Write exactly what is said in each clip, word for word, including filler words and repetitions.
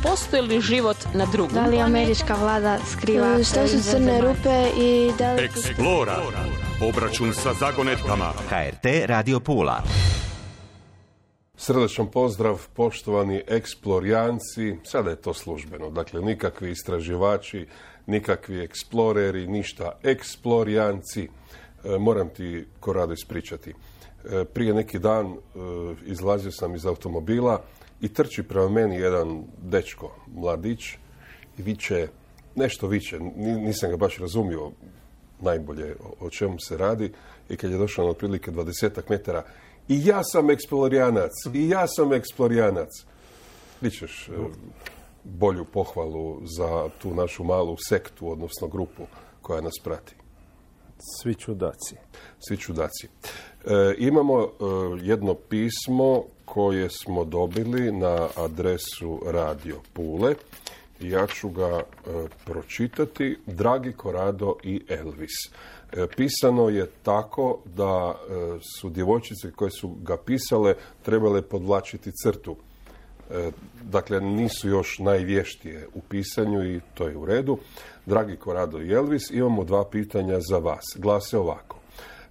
postoji li život na drugom Da li američka vlada skriva? Šta su crne rupe i da li... Eksplora. Obračun sa zagonetkama. H R T Radio Pula. Srdečan pozdrav, poštovani eksplorijanci. Sada je to službeno. Dakle, nikakvi istraživači, nikakvi eksploreri, ništa. Eksplorijanci. E, moram ti, Korado, ispričati. E, prije neki dan e, izlazio sam iz automobila i trči prema meni jedan dečko, mladić, i viče, nešto viče, nisam ga baš razumio najbolje o, o čemu se radi, i kad je došao na otprilike dvadesetak metara, i ja sam eksplorijanac, i ja sam eksplorijanac. Vičeš e, bolju pohvalu za tu našu malu sektu, odnosno grupu koja nas prati. Svi čudaci. Svi čudaci. E, imamo e, jedno pismo koje smo dobili na adresu Radio Pule. Ja ću ga e, pročitati. Dragi Korado i Elvis. E, pisano je tako da e, su djevojčice koje su ga pisale trebale podvlačiti crtu. E, dakle, nisu još najvještije u pisanju i to je u redu. Dragi Korado i Elvis, imamo dva pitanja za vas. Glase ovako.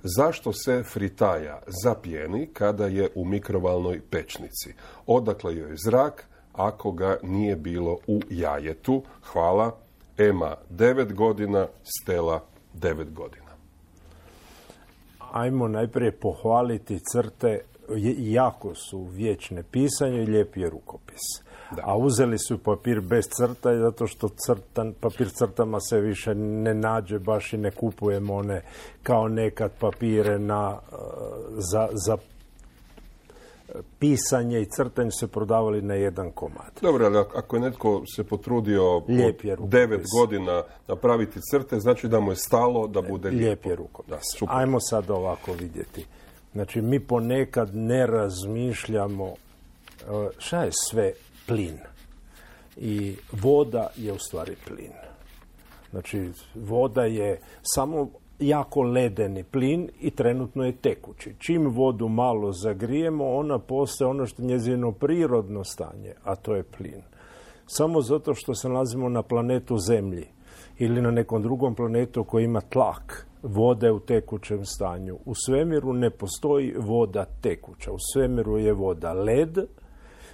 Zašto se fritaja zapjeni kada je u mikrovalnoj pečnici? Odakle joj zrak ako ga nije bilo u jajetu? Hvala. Ema devet godina, Stela devet godina. Ajmo najprije pohvaliti crte. Jako su vječne pisanje i lijep je rukopis. Da. A uzeli su papir bez crta zato što crtan, papir crtama se više ne nađe, baš i ne kupujemo one kao nekad papire na, za, za pisanje i crtanje se prodavali na jedan komad. Dobro, ali ako je netko se potrudio devet godina napraviti crte, znači da mu je stalo da bude lijepo. Lijep je rukopis. Da, ajmo sad ovako vidjeti. Znači, mi ponekad ne razmišljamo šta je sve plin. I voda je u stvari plin. Znači, voda je samo jako ledeni plin i trenutno je tekući. Čim vodu malo zagrijemo, ona postaje ono što je njezino prirodno stanje, a to je plin. Samo zato što se nalazimo na planetu Zemlji ili na nekom drugom planetu koji ima tlak, voda je u tekućem stanju. U svemiru ne postoji voda tekuća. U svemiru je voda led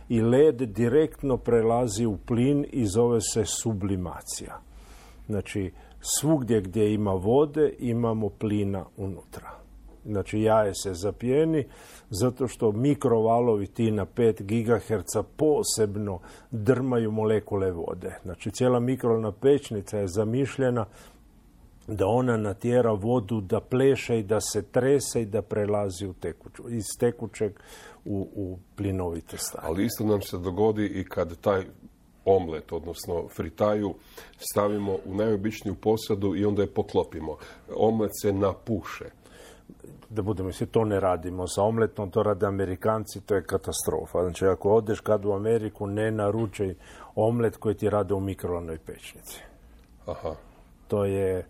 i led direktno prelazi u plin i zove se sublimacija. Znači, svugdje gdje ima vode imamo plina unutra. Znači, jaje se zapjeni zato što mikrovalovi ti na pet gigaherca posebno drmaju molekule vode. Znači, cijela mikrovalna pečnica je zamišljena da ona natjera vodu da pleše i da se trese i da prelazi u tekuću, iz tekućeg u, u plinovito stanje. Ali isto nam se dogodi i kad taj omlet, odnosno fritaju, stavimo u najobičniju posadu i onda je poklopimo. Omlet se napuše. Da budemo misli, to ne radimo sa omletom, to rade Amerikanci, to je katastrofa. Znači, ako odeš kad u Ameriku, ne naručaj omlet koji ti rade u mikrovalnoj pečnici. Aha. To je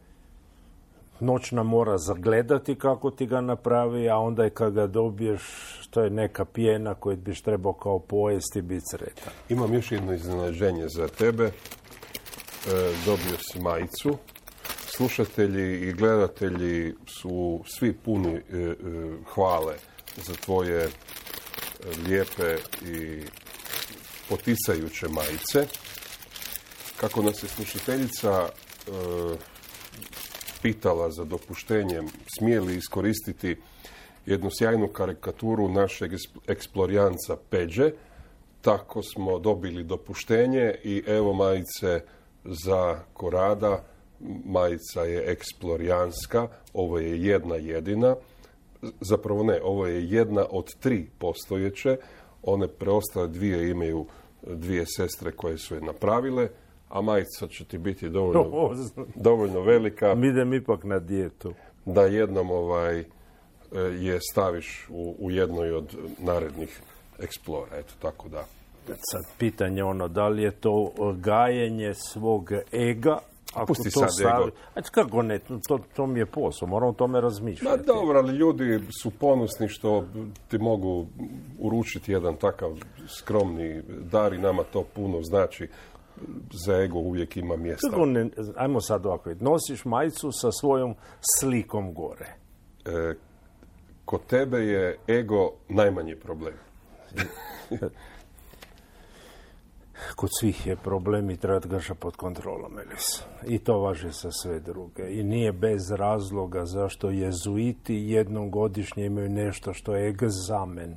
noćna mora zagledati kako ti ga napravi, a onda je kad ga dobiješ, to je neka pjena koju biš trebao kao pojesti i biti sretan. Imam još jedno iznenađenje za tebe. E, dobio si majicu. Slušatelji i gledatelji su svi puni e, e, hvale za tvoje e, lijepe i poticajuće majice. Kako nas je slušateljica e, pitala za dopuštenjem, smije li iskoristiti jednu sjajnu karikaturu našeg eksplorijanca Peđe, tako smo dobili dopuštenje i evo majice za Korada. Majica je eksplorijanska, ovo je jedna jedina, zapravo ne, ovo je jedna od tri postojeće, one preostale dvije imaju dvije sestre koje su je napravile, a majica će ti biti dovoljno, dovoljno velika. Mi idem ipak na dijetu. Da jednom ovaj, je staviš u, u jednoj od narednih eksplora. Eto, tako da. Sad pitanje ono, da li je to gajenje svog ega ako Pusti to sad stavi... ego. Ajde, kako ne, to, to mi je posao, moram o tome Ma razmišljati. dobro, ali ljudi su ponosni što ti mogu uručiti jedan takav skromni dar i nama to puno znači. Za ego uvijek ima mjesta. Kako ne, ajmo sad ovako, nosiš majicu sa svojom slikom gore. E, kod tebe je ego najmanji problem. Kod svih je problem i treba ga pod kontrolom, Elis. I to važi za sve druge. I nije bez razloga zašto jezuiti jednom godišnje imaju nešto što je egzamen.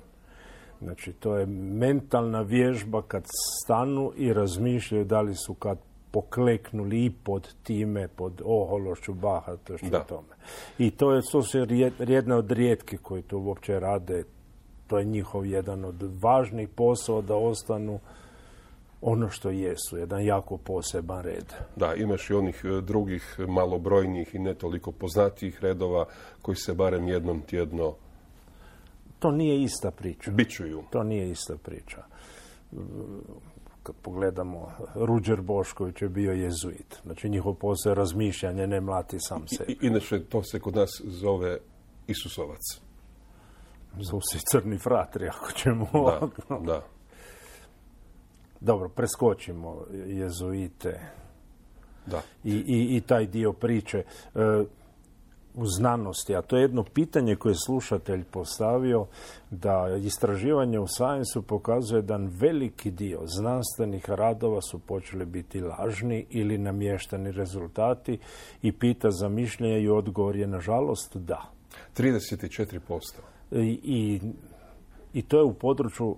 Znači, to je mentalna vježba kad stanu i razmišljaju da li su kad pokleknuli i pod time, pod ohološću, bahatošću Da. tome. I to je, to su jedna od rijetki koji to uopće rade. To je njihov jedan od važnih posao da ostanu ono što jesu, jedan jako poseban red. Da, imaš i onih e, drugih malobrojnijih i ne toliko poznatijih redova koji se barem jednom tjedno To nije ista priča. bičuju. To nije ista priča. Kad pogledamo, Ruđer Bošković je bio jezuit. Znači, njihov posao je razmišljanje, ne mlati sam sebi. I, inače, to se kod nas zove Isusovac. Zovu se crni fratri, ako ćemo... Da, da. Dobro, preskočimo jezuite Da. i, i, i taj dio priče. E, u znanosti, a to je jedno pitanje koje je slušatelj postavio, da istraživanje u Science-u pokazuje da veliki dio znanstvenih radova su počeli biti lažni ili namješteni rezultati i pita za mišljenje i odgovor je nažalost da. trideset četiri posto. I, i, i to je u području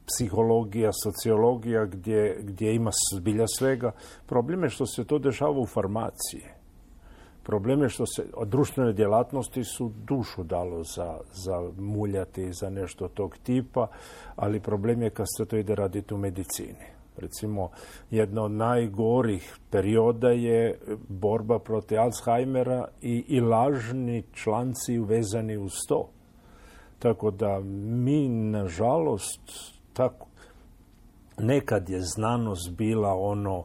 psihologija, sociologija, gdje, gdje ima zbilja svega. Problem je što se to dešava u farmaciji. Problem je što se od društvene djelatnosti su dušu dalo za, za muljati, za nešto tog tipa, ali problem je kad se to ide raditi u medicini. Recimo, jedna od najgorih perioda je borba protiv Alzheimera i, i lažni članci uvezani uz to. Tako da mi, nažalost, tako, nekad je znanost bila ono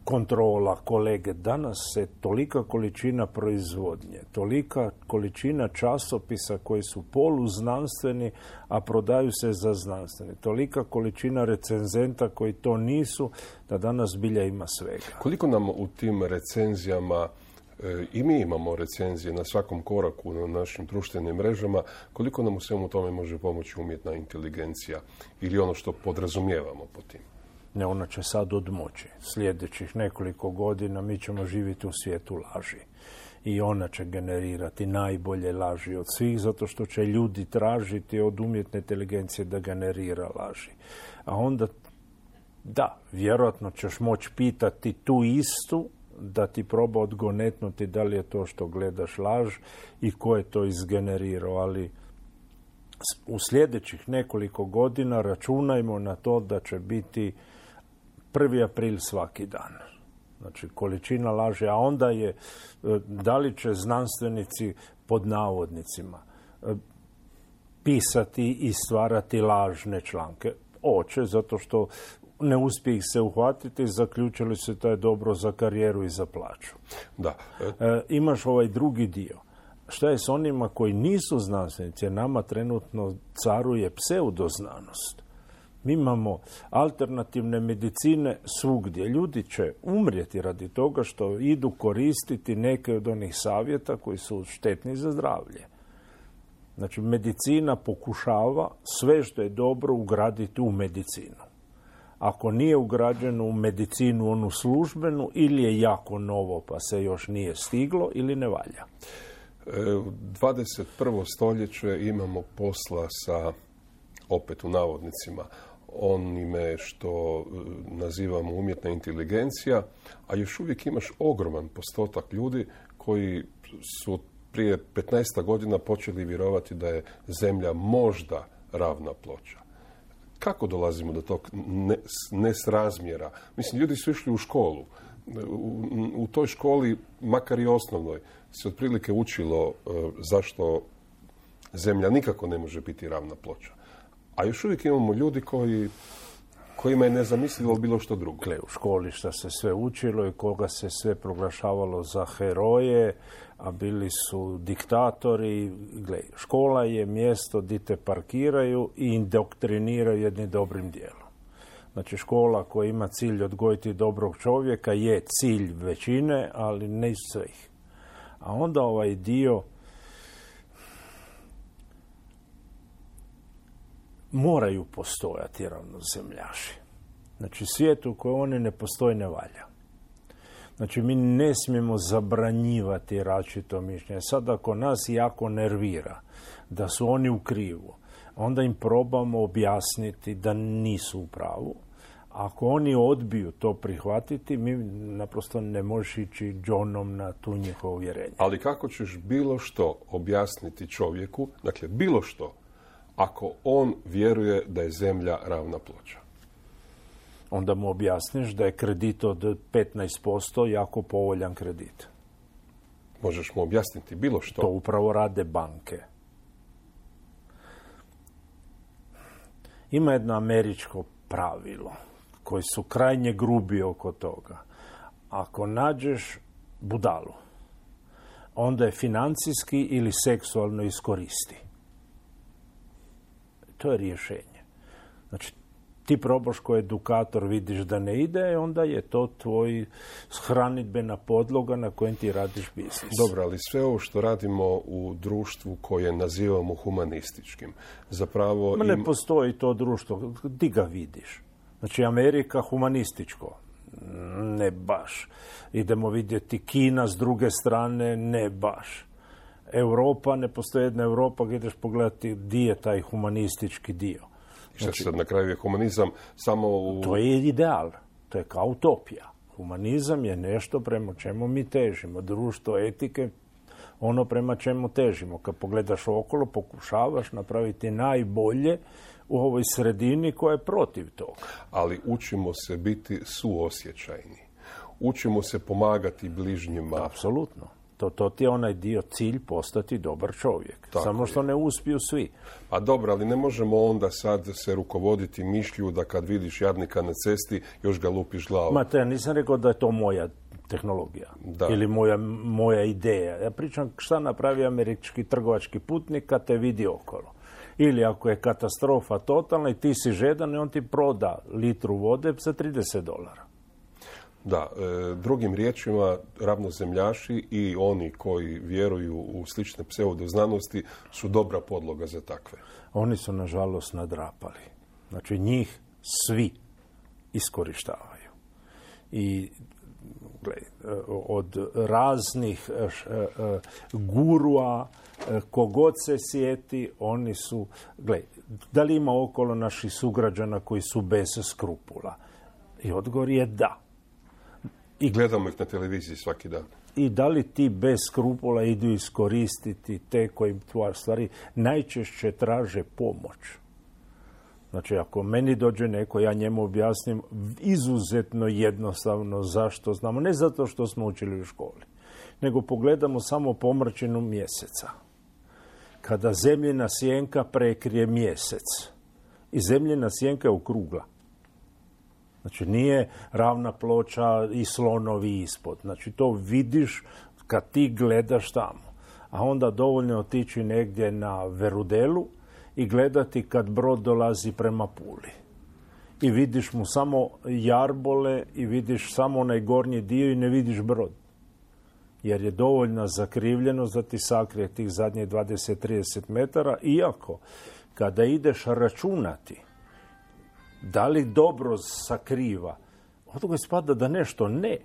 kontrola kolege. Danas se tolika količina proizvodnje, tolika količina časopisa koji su poluznanstveni, a prodaju se za znanstveni. Tolika količina recenzenta koji to nisu, da danas bilja ima svega. Koliko nam u tim recenzijama, e, i mi imamo recenzije na svakom koraku na našim društvenim mrežama, koliko nam u svemu tome može pomoći umjetna inteligencija ili ono što podrazumijevamo po tim? Ne, ona će sad odmoći. Sljedećih nekoliko godina mi ćemo živjeti u svijetu laži. I ona će generirati najbolje laži od svih, zato što će ljudi tražiti od umjetne inteligencije da generira laži. A onda, da, vjerojatno ćeš moći pitati tu istu, da ti proba odgonetnuti da li je to što gledaš laž i ko je to izgenerirao, ali u sljedećih nekoliko godina računajmo na to da će biti prvi april svaki dan. Znači, količina laži, a onda je da li će znanstvenici pod navodnicima pisati i stvarati lažne članke. Oće, zato što ne uspije ih se uhvatiti, zaključili se to je dobro za karijeru i za plaću. Da. E, imaš ovaj drugi dio. Šta je s onima koji nisu znanstvenici? Jer nama trenutno caruje pseudoznanost. Mi imamo alternativne medicine svugdje. Ljudi će umrijeti radi toga što idu koristiti neke od onih savjeta koji su štetni za zdravlje. Znači, medicina pokušava sve što je dobro ugraditi u medicinu. Ako nije ugrađeno u medicinu onu službenu, ili je jako novo pa se još nije stiglo, ili ne valja. U dvadeset prvo stoljeće imamo posla sa, opet u navodnicima, onime što nazivamo umjetna inteligencija, a još uvijek imaš ogroman postotak ljudi koji su prije petnaest godina počeli vjerovati da je Zemlja možda ravna ploča. Kako dolazimo do tog nesrazmjera? Mislim, ljudi su išli u školu. U, u toj školi, makar i osnovnoj, se otprilike učilo uh, zašto Zemlja nikako ne može biti ravna ploča. A još uvijek imamo ljudi koji, kojima je nezamislivo bilo što drugo. Gle, u školi šta se sve učilo i koga se sve proglašavalo za heroje, a bili su diktatori. Gle, škola je mjesto gdje te parkiraju i indoktriniraju jednim dobrim dijelom. Znači, škola koja ima cilj odgojiti dobrog čovjeka je cilj većine, ali ne svih. A onda ovaj dio moraju postojati ravnozemljaši. Znači, svijet u kojem oni ne postoji ne valja. Znači, mi ne smijemo zabranjivati različito mišljenje. Sad, ako nas jako nervira da su oni u krivu, onda im probamo objasniti da nisu u pravu. Ako oni odbiju to prihvatiti, mi naprosto ne možeš ići džonom na tu njihovo uvjerenje. Ali kako ćeš bilo što objasniti čovjeku, dakle, bilo što, ako on vjeruje da je zemlja ravna ploča? Onda mu objasniš da je kredit od petnaest posto jako povoljan kredit. Možeš mu objasniti bilo što? To upravo rade banke. Ima jedno američko pravilo koji su krajnje grubi oko toga. Ako nađeš budalu, onda je financijski ili seksualno iskoristi. To je rješenje. Znači, ti probaš ko edukator, vidiš da ne ide, onda je to tvoj hranidbena podloga na kojem ti radiš biznis. Dobro, ali sve ovo što radimo u društvu koje nazivamo humanističkim, zapravo... Ma ne im... postoji to društvo. Ti ga vidiš. Znači, Amerika humanističko. Ne baš. Idemo vidjeti Kina s druge strane, ne baš. Europa, ne postoji jedna Europa gdje ideš pogledati gdje je taj humanistički dio. I što sad na kraju je humanizam samo u... To je ideal. To je kao utopija. Humanizam je nešto prema čemu mi težimo. Društvo etike, ono prema čemu težimo. Kad pogledaš okolo, pokušavaš napraviti najbolje u ovoj sredini koja je protiv toga. Ali učimo se biti suosjećajni. Učimo se pomagati bližnjima. Apsolutno. To, to ti je onaj dio cilj postati dobar čovjek. Tako Samo što je. ne uspiju svi. A dobro, ali ne možemo onda sad se rukovoditi mišlju da kad vidiš jadnika na cesti, još ga lupiš glavom. Ma te, ja nisam rekao da je to moja tehnologija. Da. Ili moja, moja ideja. Ja pričam šta napravi američki trgovački putnik kad te vidi okolo. Ili ako je katastrofa totalna i ti si žedan i on ti proda litru vode za trideset dolara. Da, e, drugim riječima, ravnozemljaši i oni koji vjeruju u slične pseudoznanosti su dobra podloga za takve. Oni su, nažalost, nadrapali. Znači, njih svi iskorištavaju. I gledaj, od raznih gurua, kogod se sjeti, oni su... Gledaj, da li ima okolo naših sugrađana koji su bez skrupula? I odgovor je da. I gledamo ih na televiziji svaki dan. I da li ti bez skrupula idu iskoristiti te koji tvoje stvari najčešće traže pomoć. Znači, ako meni dođe neko, ja njemu objasnim izuzetno jednostavno zašto znamo. Ne zato što smo učili u školi, nego pogledamo samo pomračinu mjeseca. Kada zemljina sjenka prekrije mjesec i zemljina sjenka je okrugla. Znači, nije ravna ploča i slonovi ispod. Znači, to vidiš kad ti gledaš tamo. A onda dovoljno otići negdje na Verudelu i gledati kad brod dolazi prema Puli. I vidiš mu samo jarbole i vidiš samo onaj gornji dio i ne vidiš brod. Jer je dovoljna zakrivljenost da ti sakrije tih zadnjih dvadeset do trideset metara. Iako, kada ideš računati da li dobro sakriva, od toga ispada da nešto ne.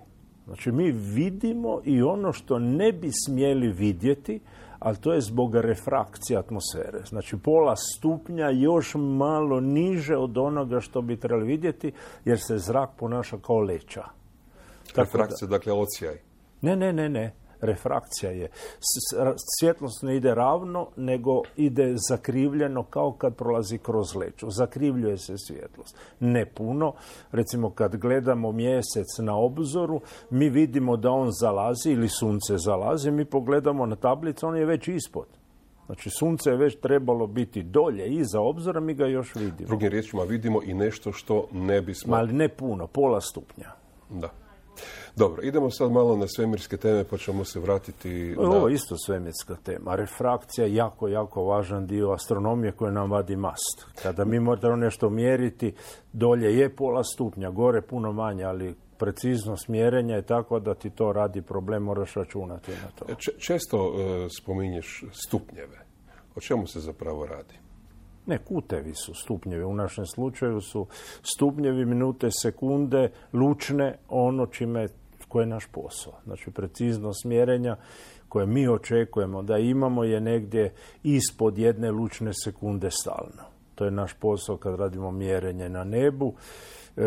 Znači, mi vidimo i ono što ne bi smjeli vidjeti, ali to je zbog refrakcije atmosfere. Znači, pola stupnja još malo niže od onoga što bi trebali vidjeti, jer se zrak ponaša kao leća. Refrakcija, da, dakle, odsjaj. Ne, ne, ne, ne. Refrakcija je. Svjetlost ne ide ravno, nego ide zakrivljeno kao kad prolazi kroz leću. Zakrivljuje se svjetlost. Ne puno. Recimo, kad gledamo mjesec na obzoru, mi vidimo da on zalazi ili sunce zalazi, mi pogledamo na tablicu, on je već ispod. Znači, sunce je već trebalo biti dolje, iza obzora, mi ga još vidimo. Drugim riječima vidimo i nešto što ne bismo... Ali ne puno, pola stupnja. Da. Dobro, idemo sad malo na svemirske teme, pa ćemo se vratiti na... Ovo je isto svemirska tema. Refrakcija je jako, jako važan dio astronomije koji nam vadi mast. Kada mi moramo nešto mjeriti, dolje je pola stupnja, gore puno manje, ali preciznost mjerenja je tako da ti to radi problem, moraš računati na to. Č- često uh, spominješ stupnjeve. O čemu se zapravo radi? Ne, kutevi su stupnjevi. U našem slučaju su stupnjevi, minute, sekunde, lučne, ono čime, koje je naš posao. Znači, preciznost mjerenja koje mi očekujemo da imamo je negdje ispod jedne lučne sekunde stalno. To je naš posao kad radimo mjerenje na nebu. E,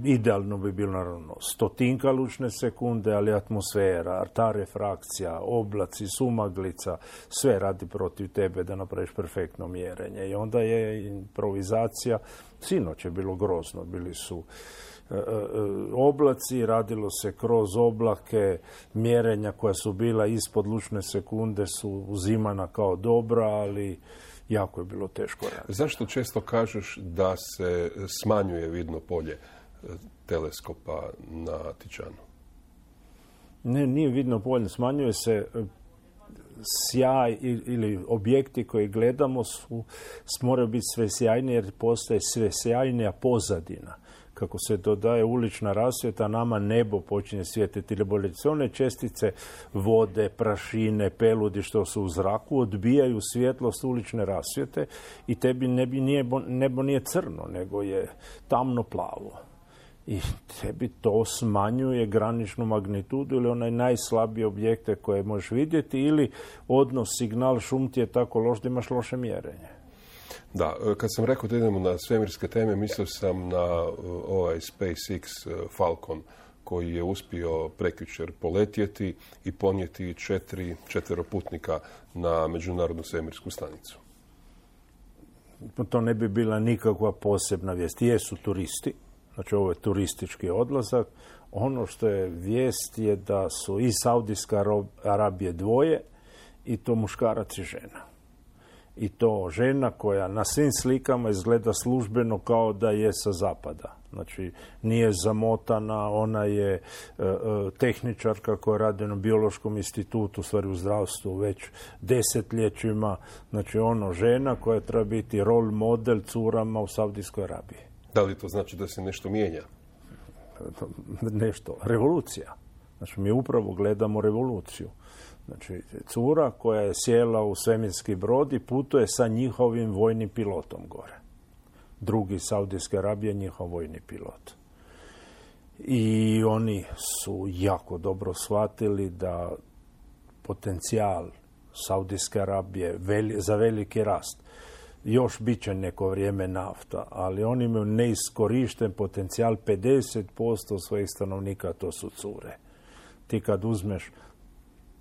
idealno bi bilo naravno stotinka lučne sekunde, ali atmosfera, ta refrakcija, oblaci, sumaglica, sve radi protiv tebe da napraviš perfektno mjerenje. I onda je improvizacija, sinoć je bilo grozno, bili su e, e, oblaci, radilo se kroz oblake, mjerenja koja su bila ispod lučne sekunde su uzimana kao dobra, ali jako je bilo teško raditi. Zašto često kažeš da se smanjuje vidno polje teleskopa na Tićanu? Ne, nije vidno polje. Smanjuje se sjaj ili objekti koji gledamo su, moraju biti sve sjajnije jer postaje sve sjajnija pozadina. Kako se dodaje ulična rasvjeta, nama nebo počinje svijetiti ili bolje. Sve one čestice vode, prašine, peludi što su u zraku odbijaju svjetlost ulične rasvjete i tebi nebi nije, nebo nije crno, nego je tamno plavo. I tebi to smanjuje graničnu magnitudu ili onaj najslabiji objekte koje možeš vidjeti ili odnos signal šum ti je tako loš da imaš loše mjerenje. Da, kad sam rekao da idemo na svemirske teme, mislio sam na ovaj SpaceX Falcon koji je uspio prekjučer poletjeti i ponijeti četiri četveroputnika na Međunarodnu svemirsku stanicu. To ne bi bila nikakva posebna vijest. Jesu turisti, znači ovo je turistički odlazak. Ono što je vijest je da su iz Saudijske Arabije dvoje i to muškarac i žena. I to žena koja na svim slikama izgleda službeno kao da je sa zapada. Znači, nije zamotana, ona je e, e, tehničarka koja radi na biološkom institutu, u stvari u zdravstvu već desetljećima. Znači, ono žena koja treba biti rol model curama u Saudijskoj Arabiji. Da li to znači da se nešto mijenja? Nešto. Revolucija. Znači, mi upravo gledamo revoluciju. Znači, cura koja je sjela u svemirski brod i putuje sa njihovim vojnim pilotom gore. Drugi Saudijske Arabije, njihov vojni pilot. I oni su jako dobro shvatili da potencijal Saudijske Arabije veli, za veliki rast. Još bit će neko vrijeme nafta, ali oni imaju neiskorišten potencijal, pedeset posto svojih stanovnika to su cure. Ti kad uzmeš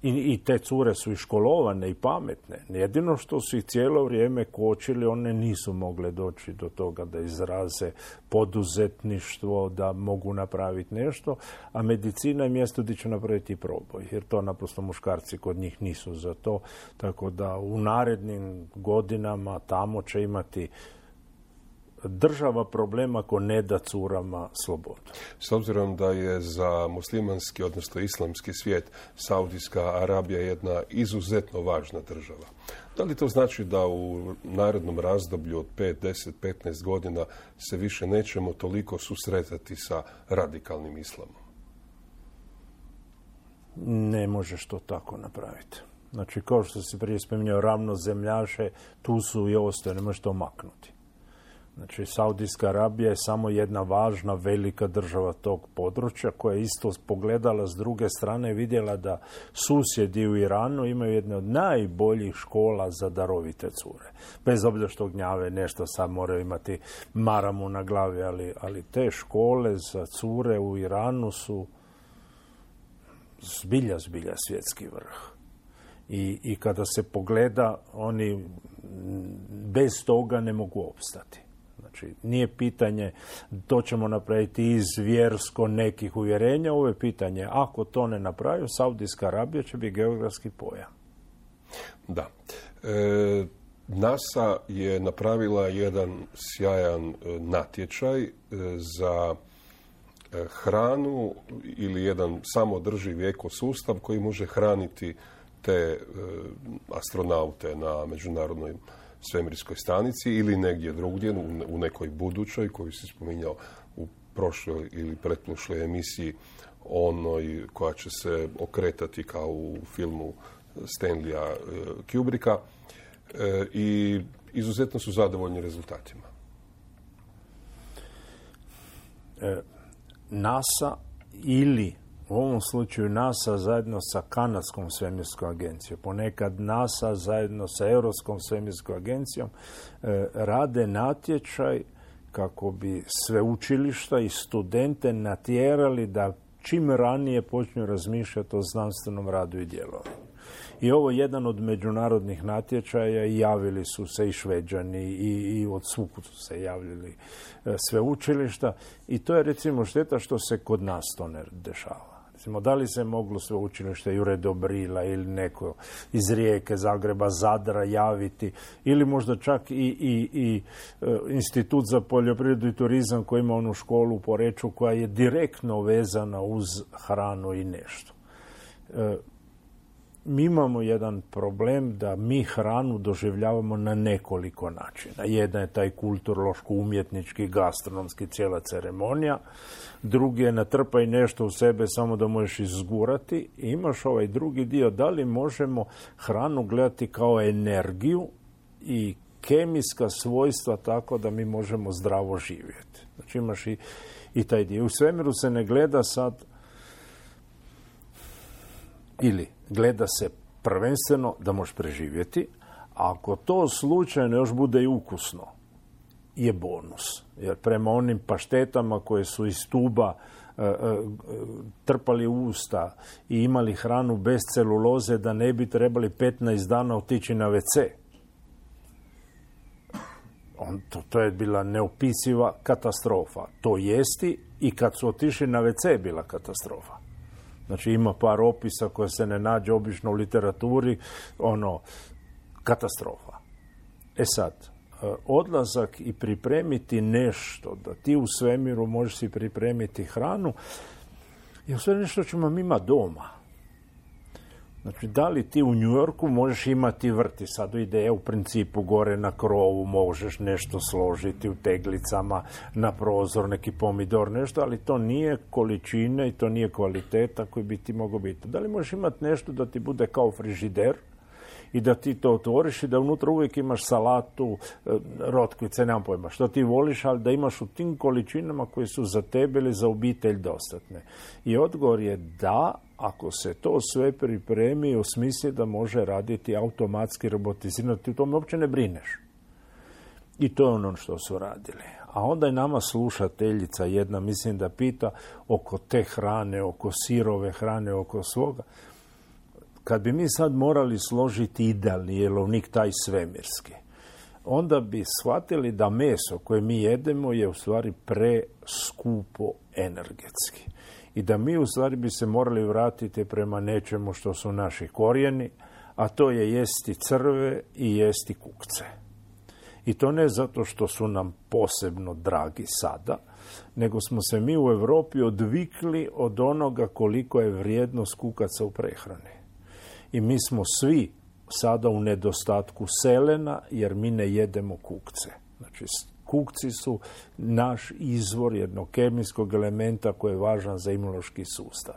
I, I te cure su i školovane i pametne. Jedino što su ih cijelo vrijeme kočili, one nisu mogle doći do toga da izraze poduzetništvo, da mogu napraviti nešto, a medicina je mjesto gdje će napraviti proboj, jer to naprosto muškarci kod njih nisu za to. Tako da u narednim godinama tamo će imati država problema ako ne da curama slobodu. S obzirom da je za muslimanski, odnosno islamski svijet, Saudijska Arabija jedna izuzetno važna država. Da li to znači da u narednom razdoblju od pet, deset, petnaest godina se više nećemo toliko susretati sa radikalnim islamom? Ne možeš to tako napraviti. Znači, kao što si prije spominjao, ravnozemljaše, tu su i ostaju, ne možeš to maknuti. Znači, Saudijska Arabija je samo jedna važna, velika država tog područja koja je isto pogledala s druge strane i vidjela da susjedi u Iranu imaju jedne od najboljih škola za darovite cure. Bez obzira što gnjave nešto, sad moraju imati maramu na glavi, ali, ali te škole za cure u Iranu su zbilja, zbilja svjetski vrh. I, i kada se pogleda, oni bez toga ne mogu opstati. Znači, nije pitanje to ćemo napraviti iz vjersko nekih uvjerenja, ovo je pitanje ako to ne napravi, Saudijska Arabija će biti geografski pojam. Da. E, NASA je napravila jedan sjajan e, natječaj e, za e, hranu ili jedan samodrživ ekosustav koji može hraniti te e, astronaute na Međunarodnoj svemirskoj stanici ili negdje drugdje, u, u nekoj budućoj, koju si spominjao u prošloj ili pretprošloj emisiji, onoj koja će se okretati kao u filmu Stanleya e, Kubricka. E, I izuzetno su zadovoljni rezultatima. E, NASA ili u ovom slučaju NASA zajedno sa Kanadskom svemirskom agencijom, ponekad NASA zajedno sa Europskom svemirskom agencijom e, rade natječaj kako bi sveučilišta i studente natjerali da čim ranije počnu razmišljati o znanstvenom radu i djelovanju. I ovo je jedan od međunarodnih natječaja i javili su se i Šveđani i, i od svuk su se javljali e, sveučilišta i to je recimo šteta što se kod nas to ne dešava. Recimo, da li se moglo sveučilište Jure Dobrila ili neko iz Rijeke, Zagreba, Zadra javiti ili možda čak i, i, i e, Institut za poljoprivredu i turizam koji ima onu školu u Poreču koja je direktno vezana uz hranu i nešto. E, Mi imamo jedan problem da mi hranu doživljavamo na nekoliko načina. Jedan je taj kulturološko-umjetnički, gastronomski, cijela ceremonija. Drugi je natrpaj nešto u sebe samo da možeš izgurati. I imaš ovaj drugi dio, da li možemo hranu gledati kao energiju i kemijska svojstva tako da mi možemo zdravo živjeti. Znači imaš i, i taj dio. U svemiru se ne gleda sad ili gleda se prvenstveno da možeš preživjeti, a ako to slučajno još bude i ukusno, je bonus. Jer prema onim paštetama koje su iz tuba e, e, trpali u usta i imali hranu bez celuloze da ne bi trebali petnaest dana otići na ve ce. On, to, to je bila neopisiva katastrofa. To jesti i kad su otišli na ve ce je bila katastrofa. Znači ima par opisa koje se ne nađe obično u literaturi, ono, katastrofa. E sad, odlazak i pripremiti nešto, da ti u svemiru možeš si pripremiti hranu, je sve nešto ćemo mi imati doma. Znači, da li ti u New Yorku možeš imati vrt i sad ideja u principu gore na krovu, možeš nešto složiti u teglicama, na prozor, neki pomidor, nešto, ali to nije količine i to nije kvaliteta koji bi ti mogao biti. Da li možeš imati nešto da ti bude kao frižider i da ti to otvoriš i da unutra uvijek imaš salatu, rotkvice, nemam pojma, što ti voliš, ali da imaš u tim količinama koje su za tebe ili za obitelj dostatne. I odgovor je da, ako se to sve pripremi i osmisli da može raditi automatski, robotizirano, ti u tome uopće ne brineš. I to je ono što su radili. A onda je nama slušateljica jedna, mislim da pita oko te hrane, oko sirove hrane, oko svoga. Kad bi mi sad morali složiti idealni jelovnik, taj svemirski, onda bi shvatili da meso koje mi jedemo je u stvari preskupo energetski. I da mi u stvari bi se morali vratiti prema nečemu što su naši korijeni, a to je jesti crve i jesti kukce. I to ne zato što su nam posebno dragi sada, nego smo se mi u Europi odvikli od onoga koliko je vrijednost kukaca u prehrani. I mi smo svi sada u nedostatku selena jer mi ne jedemo kukce. Znači, kukci su naš izvor jednog kemijskog elementa koji je važan za imunološki sustav.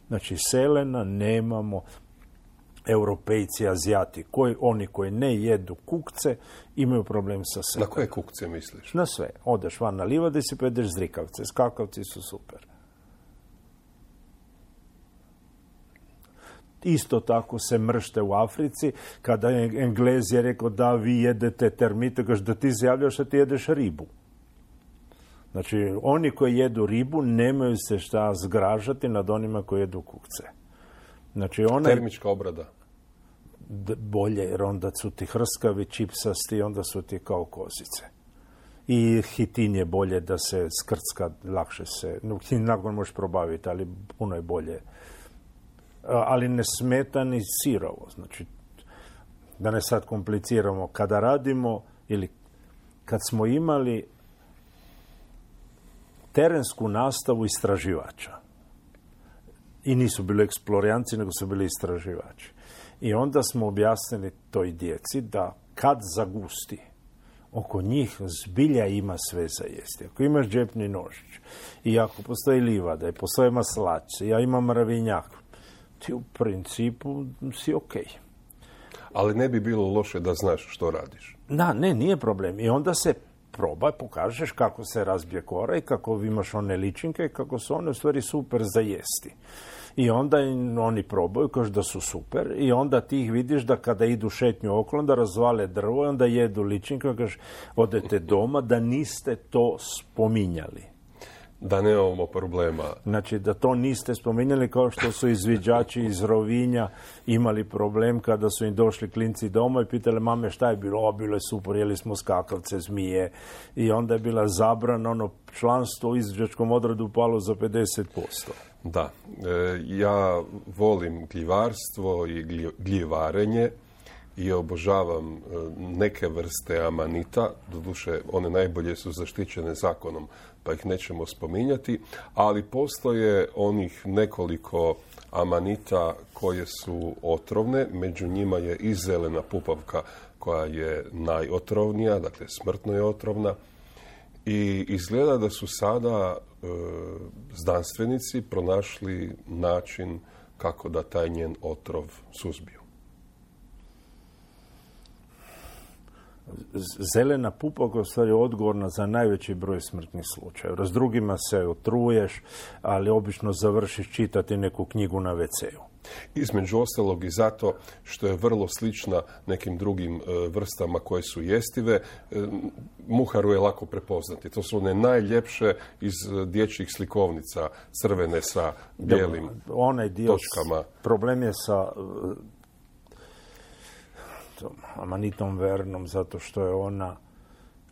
Znači, selena nemamo. Europejci, Azijati, koji, oni koji ne jedu kukce, imaju problem sa selenom. Na koje kukce misliš? Na sve. Odeš van na livadi si pa jedeš zrikavce. Skakavci su super. Isto tako se mršte u Africi. Kada je Englez je rekao da vi jedete termite, kaže da ti se javljaš da ti jedeš ribu. Znači, oni koji jedu ribu nemaju se šta zgražati nad onima koji jedu kukce. Znači, ona termička obrada. Bolje, jer onda su ti hrskavi, čipsasti, onda su ti kao kozice. I hitin je bolje da se skrcka, lakše se, no, hitin nakon možeš probaviti, ali puno je bolje. Ali ne smeta ni sirovo. Znači, da ne sad kompliciramo, kada radimo ili kad smo imali terensku nastavu istraživača, i nisu bili eksplorijanci, nego su bili istraživači. I onda smo objasnili toj djeci da kad zagusti, oko njih zbilja ima sve za jesti. Ako imaš džepni nožić, i ako postoji livada, i postoje maslačice, ja imam mravinjak, ti u principu si okej. Okay. Ali ne bi bilo loše da znaš što radiš. Da, ne, nije problem. I onda se probaj, pokažeš kako se razbije kora i kako imaš one ličinke i kako su one u stvari super za jesti. I onda oni probaju, kažu da su super, i onda ti ih vidiš da kada idu šetnju okolo, da razvale drvo i onda jedu ličinke, kažu odete doma da niste to spominjali. Da nemamo problema. Znači da to niste spominjali, kao što su izviđači iz Rovinja imali problem kada su im došli klinci doma i pitali mame šta je bilo, o, bilo je super, jeli smo skakavce, zmije, i onda je bila zabrana, ono članstvo u izviđačkom odredu palo za pedeset posto. Da, e, ja volim gljivarstvo i glji, gljivarenje i obožavam e, neke vrste amanita, doduše one najbolje su zaštićene zakonom, pa ih nećemo spominjati, ali postoje onih nekoliko amanita koje su otrovne, među njima je i zelena pupavka koja je najotrovnija, dakle smrtno je otrovna, i izgleda da su sada e, znanstvenici pronašli način kako da taj njen otrov suzbiju. Zelena pupavka je u stvari odgovorna za najveći broj smrtnih slučajeva. S drugima se otruješ, ali obično završiš čitati neku knjigu na ve ce u. Između ostalog i zato što je vrlo slična nekim drugim e, vrstama koje su jestive. E, muharu je lako prepoznati. To su one najljepše iz dječjih slikovnica, crvene sa bijelim da, onaj dio točkama. Problem je sa amanitom vernom, zato što je ona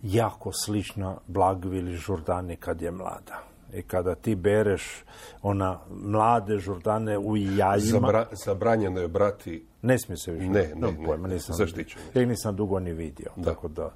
jako slična blagvi ili žurdani kad je mlada. I kada ti bereš ona mlade žurdane u jajima... Zabra, zabranjeno je brati... Ne smije se više. Ne, ne, no, pojma, ne, nisam, zaštićeno. Ja nisam dugo ni vidio, da. Tako da...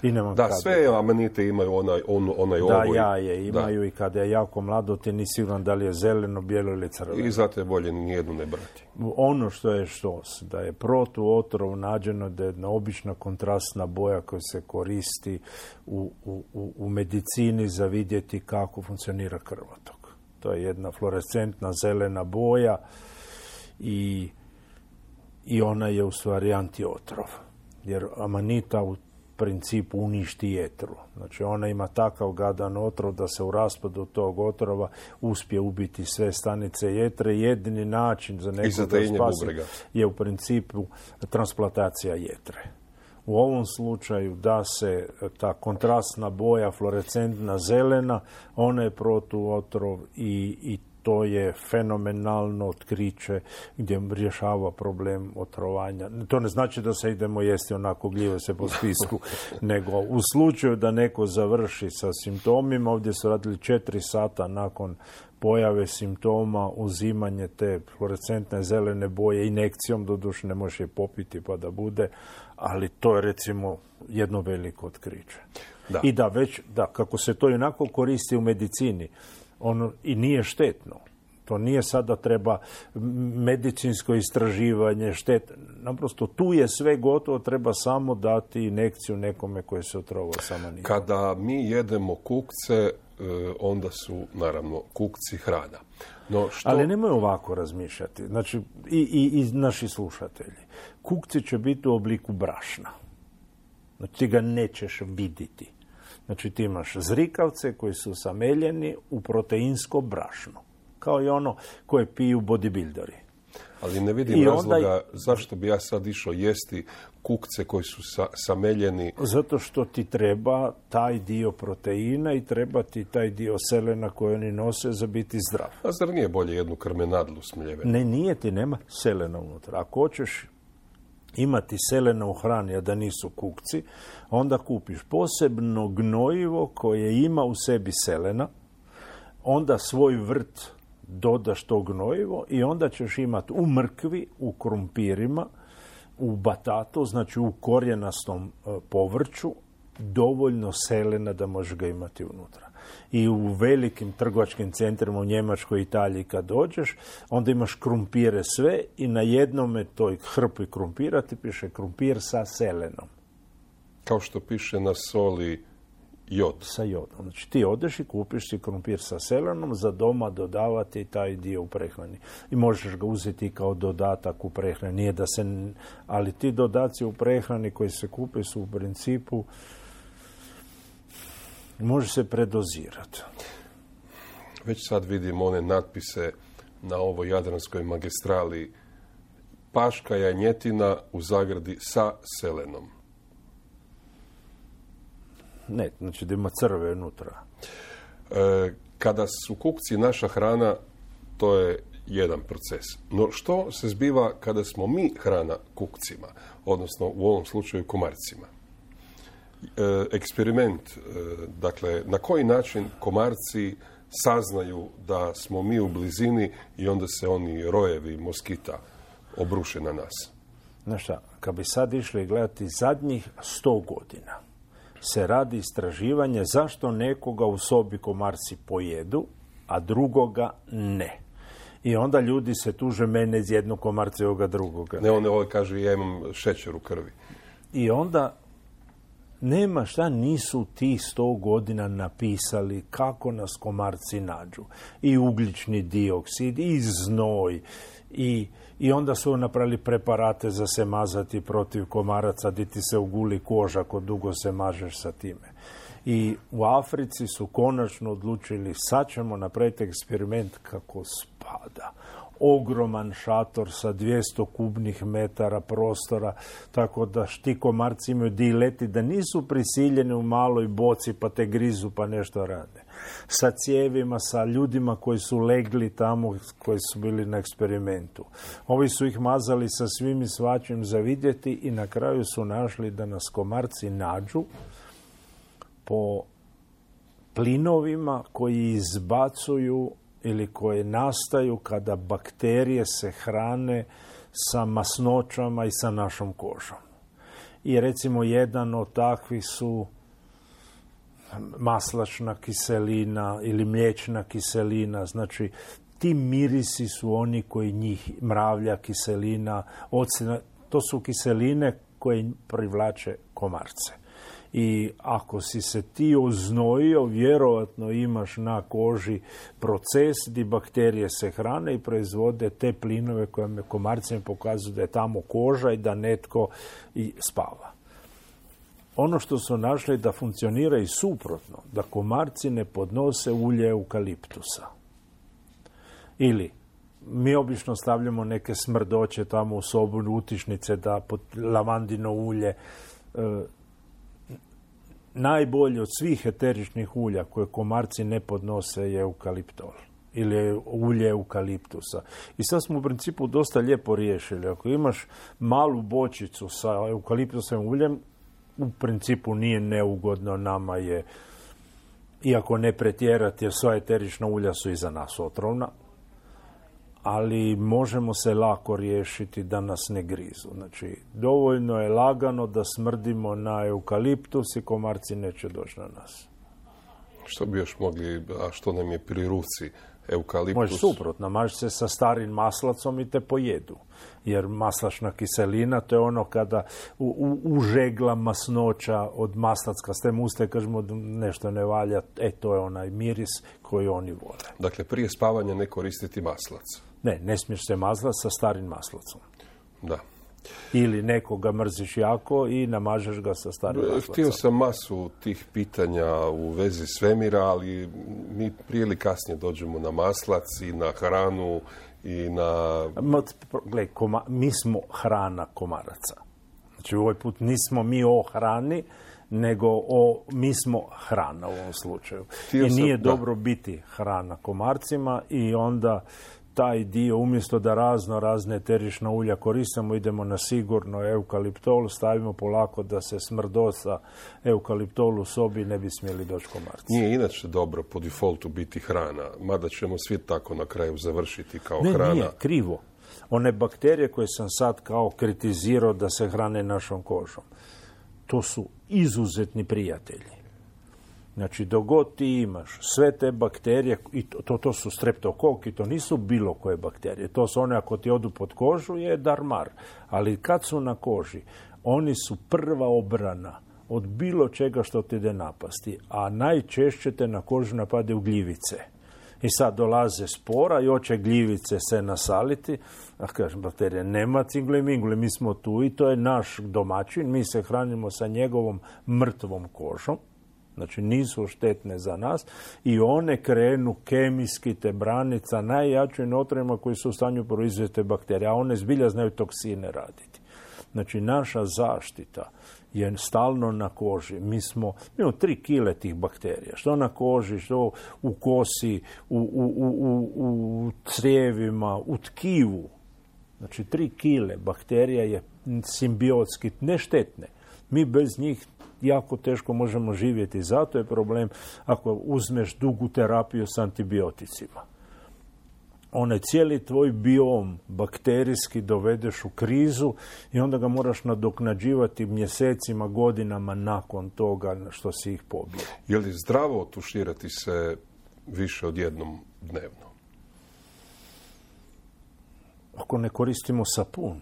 I nemam da, kada. sve amanite imaju onaj, on, onaj da, ovoj. Da, jaje imaju, da. I kada je jako mlado, ti nisi siguran da li je zeleno, bijelo ili crveno. I zato je bolje nijednu ne brati. Ono što je što, da je protuotrov nađeno da je jedna obična kontrastna boja koja se koristi u, u, u medicini za vidjeti kako funkcionira krvotok. To je jedna fluorescentna zelena boja i, i ona je u stvari antiotrov. Jer amanita u principu uništi jetru. Znači ona ima takav gadan otrov da se u raspadu tog otrova uspije ubiti sve stanice jetre. Jedini način za nekog da spasi je u principu transplantacija jetre. U ovom slučaju da se ta kontrastna boja, fluorescentna zelena, ona je protuotrov i, i to je fenomenalno otkriće gdje rješava problem otrovanja. To ne znači da se idemo jesti onako gljive se po spisku, nego u slučaju da neko završi sa simptomima, ovdje su radili četiri sata nakon pojave simptoma, uzimanje te fluorescentne zelene boje injekcijom, doduše ne može je popiti pa da bude, ali to je recimo jedno veliko otkriće. Da. I da već, da, kako se to onako koristi u medicini, ono i nije štetno. To nije sad da treba medicinsko istraživanje, štetno. Naprosto tu je sve gotovo, treba samo dati injekciju nekome koji se otrovao sama nikom. Kada mi jedemo kukce, onda su naravno kukci hrana. No, što... Ali nemoj ovako razmišljati. Znači, i, i, i naši slušatelji. Kukci će biti u obliku brašna. Znači, ti ga nećeš vidjeti. Znači ti imaš zrikavce koji su sameljeni u proteinsko brašno. Kao i ono koje piju bodybuilderi. Ali ne vidim I razloga onda... zašto bi ja sad išao jesti kukce koji su sa, sameljeni. Zato što ti treba taj dio proteina i treba ti taj dio selena koji oni nose za biti zdrav. A zar nije bolje jednu krmenadlu smljevenu? Ne, nije ti, nema selena unutra. Ako hoćeš imati selena u hrani, a da nisu kukci, onda kupiš posebno gnojivo koje ima u sebi selena, onda svoj vrt dodaš to gnojivo i onda ćeš imati u mrkvi, u krumpirima u batatu, znači u korijenastom povrću, dovoljno selena da možeš ga imati unutra. I u velikim trgovačkim centrima u Njemačkoj i Italiji kad dođeš, onda imaš krumpire sve i na jednome toj hrpi krumpira ti piše krumpir sa selenom. Kao što piše na soli jod. Sa jodom. Znači ti odeš i kupiš si krumpir sa selenom, za doma dodavati taj dio u prehrani. I možeš ga uzeti kao dodatak u prehrani. Nije da se, ali ti dodaci u prehrani koji se kupe su u principu može se predozirati. Već sad vidim one natpise na ovoj Jadranskoj magistrali. Paška janjetina u zagradi sa selenom. Ne, znači da ima crve unutra. E, kada su kukci naša hrana, to je jedan proces. No što se zbiva kada smo mi hrana kukcima, odnosno u ovom slučaju komarcima? E, eksperiment, e, dakle, na koji način komarci saznaju da smo mi u blizini i onda se oni rojevi moskita obruše na nas? Znaš šta, kad bi sad išli gledati zadnjih sto godina, se radi istraživanje zašto nekoga u sobi komarci pojedu, a drugoga ne. I onda ljudi se tuže mene iz jednog komarca i ovoga drugoga. Ne, on ovaj kaže ja imam šećer u krvi. I onda nema šta nisu tih sto godina napisali kako nas komarci nađu. I ugljični dioksid, i znoj, i, i onda su napravili preparate za se mazati protiv komaraca, di ti se uguli koža ako dugo se mažeš sa time. I u Africi su konačno odlučili, sad ćemo napraviti eksperiment kako spada. Ogroman šator sa dvjesto kubnih metara prostora, tako da ti komarci imaju di leti, da nisu prisiljeni u maloj boci pa te grizu pa nešto rade. Sa cijevima, sa ljudima koji su legli tamo, koji su bili na eksperimentu. Ovi su ih mazali sa svim i svačim za vidjeti i na kraju su našli da nas komarci nađu po plinovima koji izbacuju ili koje nastaju kada bakterije se hrane sa masnoćama i sa našom kožom. I recimo jedan od takvih su maslačna kiselina ili mliječna kiselina. Znači, ti mirisi su oni koji njih, mravlja, kiselina, ocena, to su kiseline koje privlače komarce. I ako si se ti oznojio, vjerovatno imaš na koži proces gdje bakterije se hrane i proizvode te plinove koje me komarcima pokazuju da je tamo koža i da netko i spava. Ono što su našli da funkcionira i suprotno, da komarci ne podnose ulje eukaliptusa. Ili mi obično stavljamo neke smrdoće tamo u sobu, utišnice, da pod lavandino ulje. E, najbolje od svih eteričnih ulja koje komarci ne podnose je eukaliptol ili ulje eukaliptusa. I sad smo u principu dosta lijepo riješili. Ako imaš malu bočicu sa eukaliptusovim uljem, u principu nije neugodno, nama je, iako ne pretjerati, jer sva eterična ulja su iza nas otrovna, ali možemo se lako riješiti da nas ne grizu. Znači, dovoljno je lagano da smrdimo na eukaliptus i komarci neće doći na nas. Što bi još mogli, a što nam je pri ruci? Eukaliptus? Možeš suprotno, mažeš se sa starim maslacom i te pojedu. Jer maslačna kiselina, to je ono kada u, u, užegla masnoća od maslacka s tem uste, kažemo nešto ne valja, e, to je onaj miris koji oni vole. Dakle, prije spavanja ne koristiti maslac? Ne, ne smiješ se mazlati sa starim maslacom. Da. Ili nekoga mrziš jako i namažeš ga sa starim maslacom. Htio sam masu tih pitanja u vezi svemira, ali mi prije ili kasnije dođemo na maslac i na hranu i na... Gle, koma, mi smo hrana komaraca. Znači, ovaj put nismo mi o hrani, nego o, mi smo hrana u ovom slučaju. Htio I nije sam, dobro da. biti hrana komarcima i onda taj dio, umjesto da razno razne eterična ulja koristimo, idemo na sigurno eukaliptol, stavimo polako da se smrdosa eukaliptolu u sobi ne bi smjeli doći komarci. Nije inače dobro po defaultu biti hrana, mada ćemo svi tako na kraju završiti kao ne, hrana. Nije, krivo. One bakterije koje sam sad kao kritizirao da se hrane našom kožom, to su izuzetni prijatelji. Znači, dok god ti imaš sve te bakterije, i to, to, to su streptokok i to nisu bilo koje bakterije, to su one ako ti odu pod kožu je darmar, ali kad su na koži, oni su prva obrana od bilo čega što ti ide napasti, a najčešće te na kožu napadaju gljivice. I sad dolaze spora i hoće gljivice se nasaliti, a kažem, bakterije, nema cingle mingle, mi smo tu i to je naš domaćin, mi se hranimo sa njegovom mrtvom kožom, znači nisu štetne za nas i one krenu kemijski te braniti sa najjačim otrovima koji su u stanju proizvesti te bakterije, a one zbilja znaju toksine raditi. Znači, naša zaštita je stalno na koži. Mi smo, mi imamo tri kile tih bakterija. Što na koži, što u kosi, u, u, u, u crijevima, u tkivu. Znači, tri kile bakterija je simbiotski neštetne. Mi bez njih jako teško možemo živjeti. Zato je problem ako uzmeš dugu terapiju s antibioticima. Onaj cijeli tvoj biom bakterijski dovedeš u krizu i onda ga moraš nadoknađivati mjesecima, godinama nakon toga što si ih pobio. Je li zdravo tuširati se više od jednom dnevno? Ako ne koristimo sapun.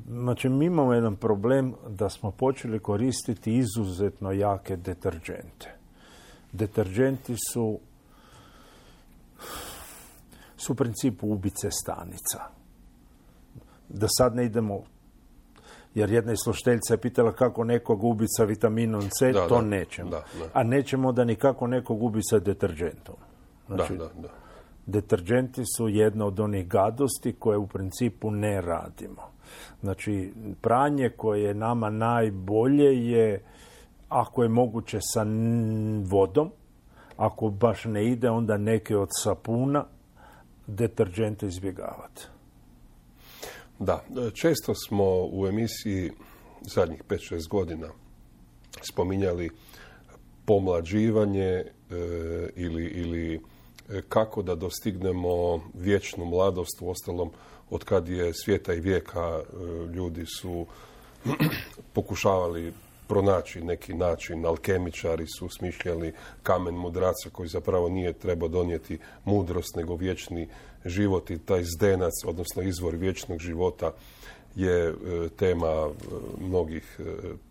Znači, mi imamo jedan problem da smo počeli koristiti izuzetno jake deterđente. Deterđenti su su u principu ubice stanica. Da sad ne idemo, jer jedna slušateljica je pitala kako nekog ubiti sa vitaminom C, da, to da, nećemo. Da, da. A nećemo da nikako nekog ubiti sa deterđentom. Znači, da, da, da. deterđenti su jedna od onih gadosti koje u principu ne radimo. Znači, pranje koje je nama najbolje je, ako je moguće, sa vodom. Ako baš ne ide, onda neke od sapuna, deterđente izbjegavati. Da, često smo u emisiji zadnjih pet šest godina spominjali pomlađivanje e, ili, ili kako da dostignemo vječnu mladost. U ostalom, od kad je svijeta i vijeka e, ljudi su pokušavali pronaći neki način, alkemičari su smišljali kamen mudraca koji zapravo nije trebao donijeti mudrost nego vječni život i taj zdenac, odnosno izvor vječnog života je e, tema e, mnogih e,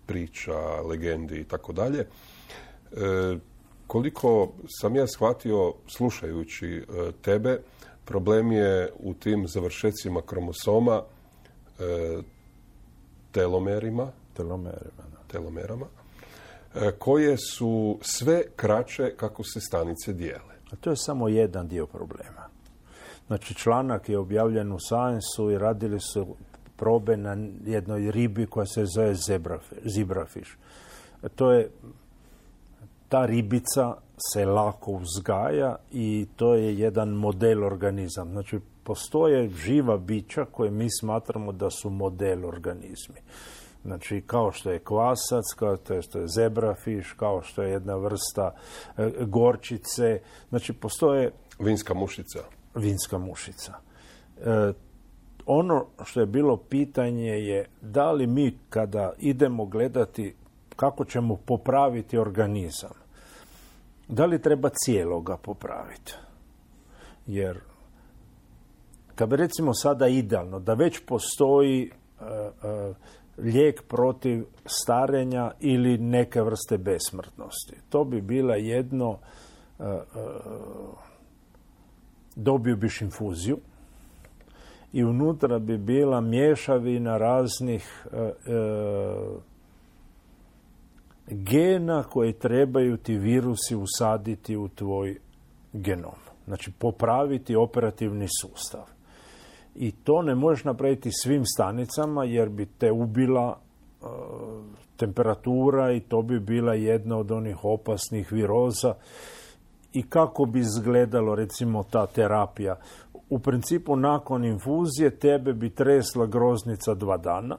priča, legendi i tako dalje. Koliko sam ja shvatio slušajući e, tebe, problem je u tim završecima kromosoma e, telomerima, Telomerima, da. telomerama, e, koje su sve kraće kako se stanice dijele. A to je samo jedan dio problema. Znači, članak je objavljen u Science-u i radili su probe na jednoj ribi koja se zove zebrafiš. To je, ta ribica se lako uzgaja i to je jedan model organizam. Znači, postoje živa bića koje mi smatramo da su model organizmi. Znači, kao što je kvasac, kao što je zebrafiš, kao što je jedna vrsta e, gorčice. Znači, postoje... Vinska mušica. Vinska mušica. E, ono što je bilo pitanje je da li mi kada idemo gledati kako ćemo popraviti organizam, da li treba cijeloga popraviti? Jer kad bi recimo sada idealno da već postoji e, e, lijek protiv starenja ili neke vrste besmrtnosti. To bi bila jedno, e, e, dobio biš infuziju i unutra bi bila mješavina raznih e, e, gena koje trebaju ti virusi usaditi u tvoj genom. Znači, popraviti operativni sustav. I to ne možeš napraviti svim stanicama jer bi te ubila e, temperatura i to bi bila jedna od onih opasnih viroza. I kako bi izgledalo, recimo, ta terapija? U principu, nakon infuzije tebe bi tresla groznica dva dana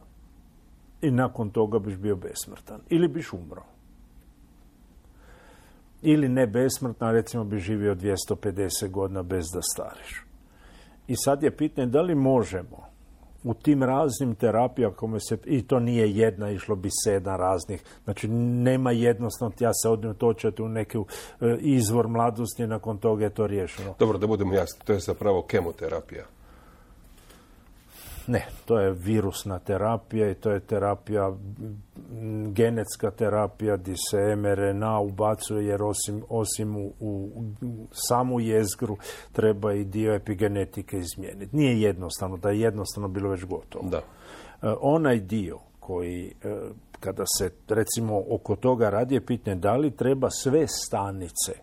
i nakon toga biš bio besmrtan. Ili biš umro. Ili ne besmrtna, recimo bi živio dvjesto pedeset godina bez da stariš. I sad je pitanje da li možemo u tim raznim terapijama, kome se, i to nije jedna, išlo bi sedam raznih, znači nema jednostavno, ja se odem točati u neki e, izvor mladosti, nakon toga je to riješeno. Dobro, da budemo jasni, to je zapravo kemoterapija. Ne, to je virusna terapija i to je terapija, genetska terapija gdje se em er en a ubacuje jer osim, osim u, u samu jezgru treba i dio epigenetike izmijeniti. Nije jednostavno, da je jednostavno bilo već gotovo. Da. E, onaj dio koji, e, kada se recimo oko toga radi, je pitanje da li treba sve stanice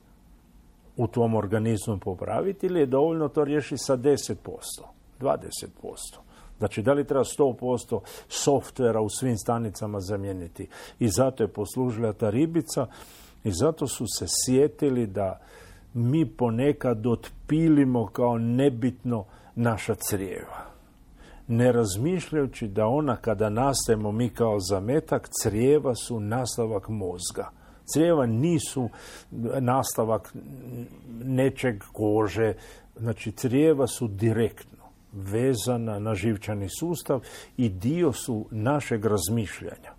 u tvom organizmu popraviti ili je dovoljno to riješiti sa deset posto, dvadeset posto. Znači, da li treba sto posto softvera u svim stanicama zamijeniti? I zato je poslužila ta ribica i zato su se sjetili da mi ponekad otpilimo kao nebitno naša crijeva. Ne razmišljajući da ona kada nastajemo mi kao zametak, crijeva su nastavak mozga. Crijeva nisu nastavak nečeg kože, znači crijeva su direktno vezana na živčani sustav i dio su našeg razmišljanja.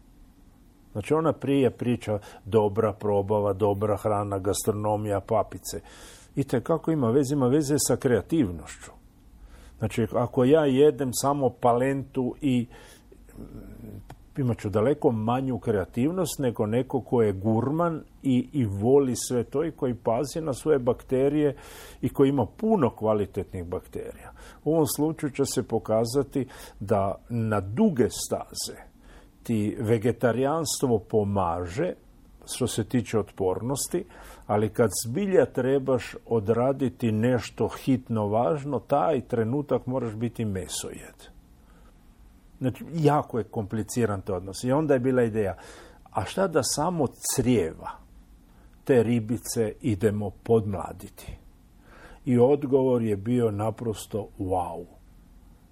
Znači ona prije priča dobra probava, dobra hrana, gastronomija, papice. I tekako ima veze, ima veze sa kreativnošću. Znači ako ja jedem samo palentu i imat ću daleko manju kreativnost nego neko ko je gurman i, i voli sve to i koji pazi na svoje bakterije i koji ima puno kvalitetnih bakterija. U ovom slučaju će se pokazati da na duge staze ti vegetarijanstvo pomaže što se tiče otpornosti, ali kad zbilja trebaš odraditi nešto hitno važno, taj trenutak moraš biti mesojed. Znači, jako je kompliciran to odnos. I onda je bila ideja, a šta da samo crijeva te ribice idemo podmladiti? I odgovor je bio naprosto wow.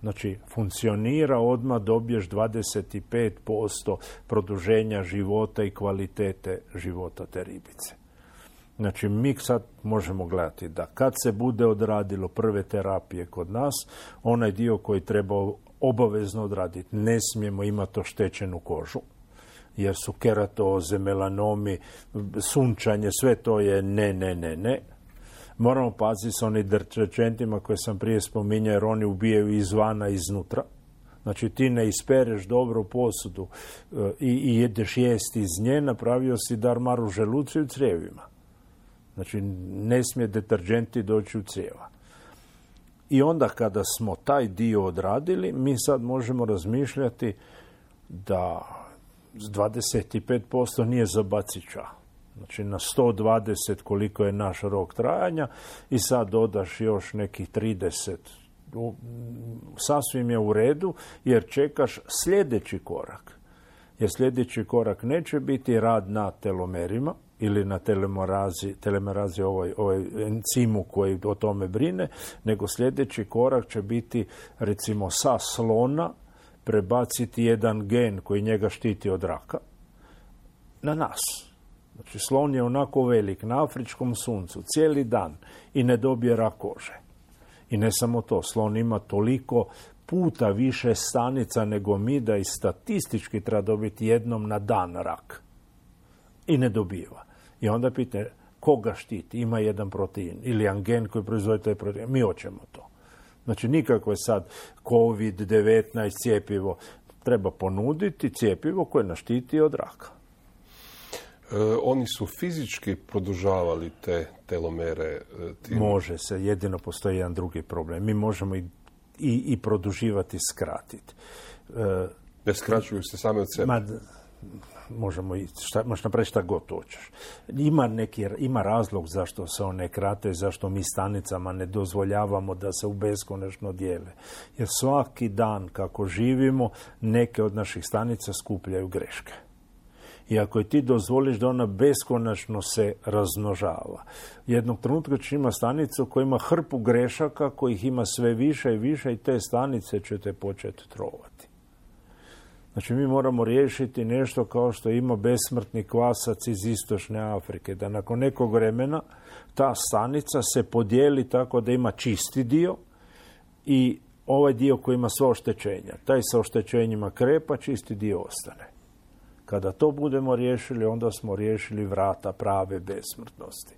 Znači, funkcionira, odmah dobiješ dvadeset pet posto produženja života i kvalitete života te ribice. Znači, mi sad možemo gledati da kad se bude odradilo prve terapije kod nas, onaj dio koji treba obavezno odraditi, ne smijemo imati oštećenu kožu, jer su keratoze, melanomi, sunčanje, sve to je ne, ne, ne, ne. Moramo paziti s onim deterđentima koje sam prije spominjao, jer oni ubijaju izvana i iznutra. Znači ti ne ispereš dobro posudu i, i jedeš jesti iz nje, napravio si darmar u želucu i u crijevima. Znači ne smije deterđenti doći u crijeva. I onda kada smo taj dio odradili, mi sad možemo razmišljati da dvadeset pet posto nije za bacića. Znači na sto dvadeset koliko je naš rok trajanja i sad dodaš još nekih trideset. Sasvim je u redu jer čekaš sljedeći korak. Jer sljedeći korak neće biti rad na telomerima ili na telemerazi, telemerazi ovoj, ovoj encimu koji o tome brine, nego sljedeći korak će biti recimo sa slona prebaciti jedan gen koji njega štiti od raka na nas. Znači slon je onako velik na afričkom suncu cijeli dan i ne dobije rak kože. I ne samo to, slon ima toliko puta više stanica nego mi da i statistički treba dobiti jednom na dan rak. I ne dobiva. I onda pitanje, koga štiti? Ima jedan protein ili angen koji proizvodi taj protein. Mi hoćemo to. Znači nikako je sad kovid devetnaest cijepivo. Treba ponuditi cijepivo koje nas štiti od raka. E, oni su fizički produžavali te telomere? E, tim... Može se, jedino postoji jedan drugi problem. Mi možemo i, i, i produživati, skratiti. E, ne skraćuju se same od sebe? Ma, možemo i šta, možeš napraviti šta god hoćeš. Ima, neki, ima razlog zašto se one krate, zašto mi stanicama ne dozvoljavamo da se u beskonačno dijele. Jer svaki dan kako živimo, neke od naših stanica skupljaju greške. I ako ti dozvoliš da ona beskonačno se razmnožava, jednog trenutka će ima stanicu koja ima hrpu grešaka, kojih ima sve više i više i te stanice će te početi trovati. Znači mi moramo riješiti nešto kao što ima besmrtni kvasac iz istočne Afrike, da nakon nekog vremena ta stanica se podijeli tako da ima čisti dio i ovaj dio koji ima sva oštećenja. Taj sa oštećenjima krepa, čisti dio ostane. Kada to budemo riješili, onda smo riješili vrata prave besmrtnosti.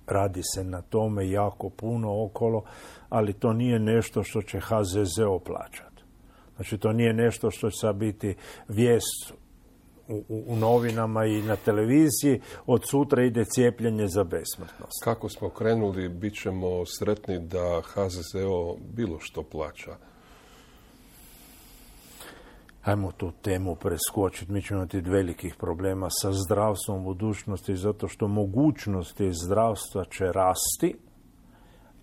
Radi se na tome jako puno okolo, ali to nije nešto što će H Z Z O plaćati. Znači, to nije nešto što će biti vijest u, u, u novinama i na televiziji. Od sutra ide cijepljenje za besmrtnost. Kako smo krenuli, bit ćemo sretni da H Z Z O bilo što plaća. Ajmo tu temu preskočiti. Mi ćemo imati velikih problema sa zdravstvom u budućnosti, zato što mogućnosti zdravstva će rasti,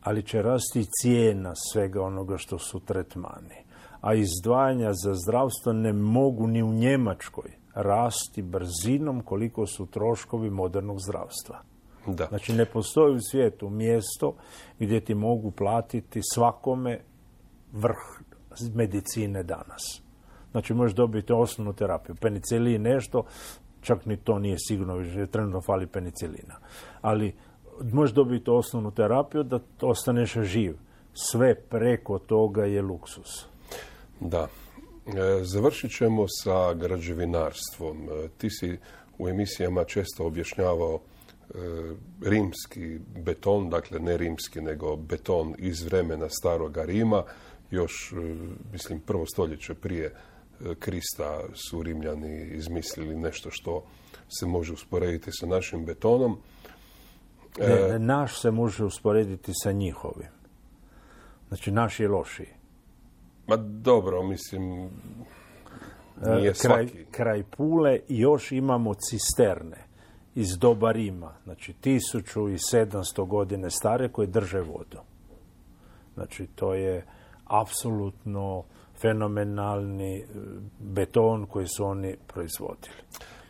ali će rasti cijena svega onoga što su tretmani. A izdvajanja za zdravstvo ne mogu ni u Njemačkoj rasti brzinom koliko su troškovi modernog zdravstva. Da. Znači, ne postoji u svijetu mjesto gdje ti mogu platiti svakome vrh medicine danas. Znači, možeš dobiti osnovnu terapiju. Penicilin nešto, čak ni to nije sigurno, više trenutno fali penicilina. Ali možeš dobiti osnovnu terapiju da ostaneš živ. Sve preko toga je luksus. Da. E, završit ćemo sa građevinarstvom. E, ti si u emisijama često objašnjavao e, rimski beton, dakle ne rimski, nego beton iz vremena staroga Rima. Još, e, mislim, prvo stoljeće prije Krista su Rimljani izmislili nešto što se može usporediti sa našim betonom. Ne, ne, naš se može usporediti sa njihovim. Znači, naš je lošiji. Ma dobro, mislim, nije kraj, svaki. Kraj Pule još imamo cisterne iz doba Rima. Znači, tisuću sedamsto godine stare koje drže vodu. Znači, to je apsolutno fenomenalni beton koji su oni proizvodili.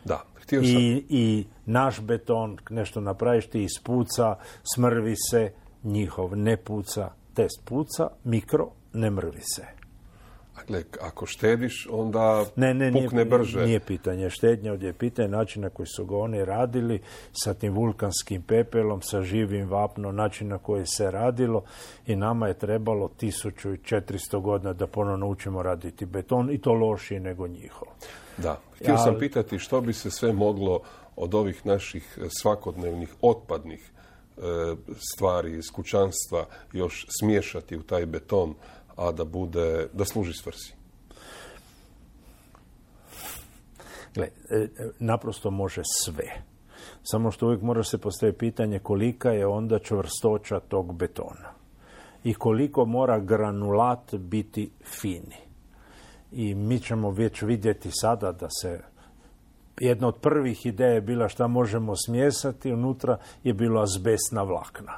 Da, htio sam... I, I naš beton, nešto napraviš, ti ispuca, smrvi se, njihov ne puca, test puca, mikro, ne mrvi se. Dakle, ako štediš, onda ne, ne, pukne nije, brže. Nije pitanje štednje, ovdje je pitanje načina koji su ga oni radili, sa tim vulkanskim pepelom, sa živim vapnom, način na koji se radilo, i nama je trebalo tisuću četiristo godina da ponovno učimo raditi beton, i to lošije nego njihov. Da. Htio ja, sam pitati što bi se sve moglo od ovih naših svakodnevnih otpadnih e, stvari iz kućanstva još smiješati u taj beton, a da bude, da služi svrsi. Gle, naprosto može sve. Samo što uvijek mora se postaviti pitanje kolika je onda čvrstoća tog betona. I koliko mora granulat biti fini. I mi ćemo već vidjeti sada da se jedna od prvih ideja je bila šta možemo smjesati, unutra je bilo azbestna vlakna.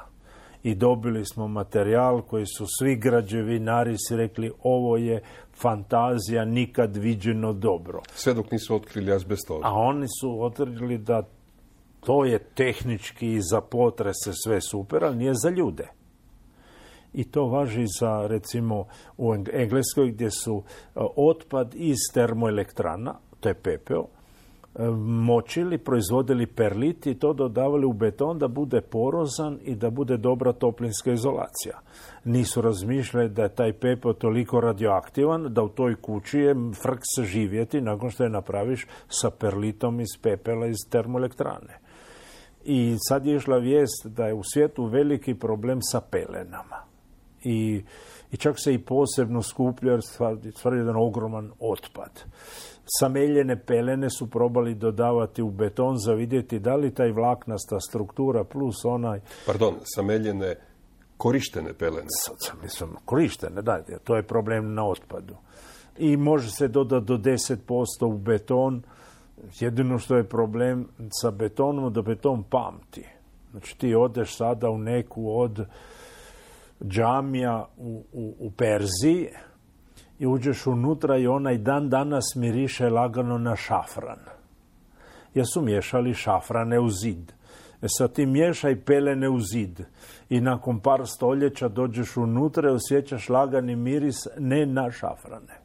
I dobili smo materijal koji su svi građevinari si rekli ovo je fantazija, nikad viđeno dobro. Sve dok nisu otkrili azbestozu. A oni su otkrili da to je tehnički za potrese sve super, ali nije za ljude. I to važi za, recimo, u Engleskoj gdje su otpad iz termoelektrana, to je pepeo, močili, proizvodili perlit i to dodavali u beton da bude porozan i da bude dobra toplinska izolacija. Nisu razmišljali da je taj pepeo toliko radioaktivan da u toj kući je frk se živjeti nakon što je napraviš sa perlitom iz pepela iz termoelektrane. I sad je išla vijest da je u svijetu veliki problem sa pelenama. I, i čak se i posebno skuplja jer stvar je jedan ogroman otpad. Sameljene pelene su probali dodavati u beton za vidjeti da li taj vlaknasta struktura plus onaj... Pardon, sameljene korištene pelene. Mislim, korištene, da, to je problem na otpadu. I može se dodati do deset posto u beton. Jedino što je problem sa betonom, da beton pamti. Znači ti odeš sada u neku od džamija u, u, u Perziji i uđeš unutra i onaj dan danas miriše lagano na šafran. Jer su miješali šafrane u zid. E sad ti miješaj pelene u zid i nakon par stoljeća dođeš unutra i osjećaš lagani miris ne na šafrane.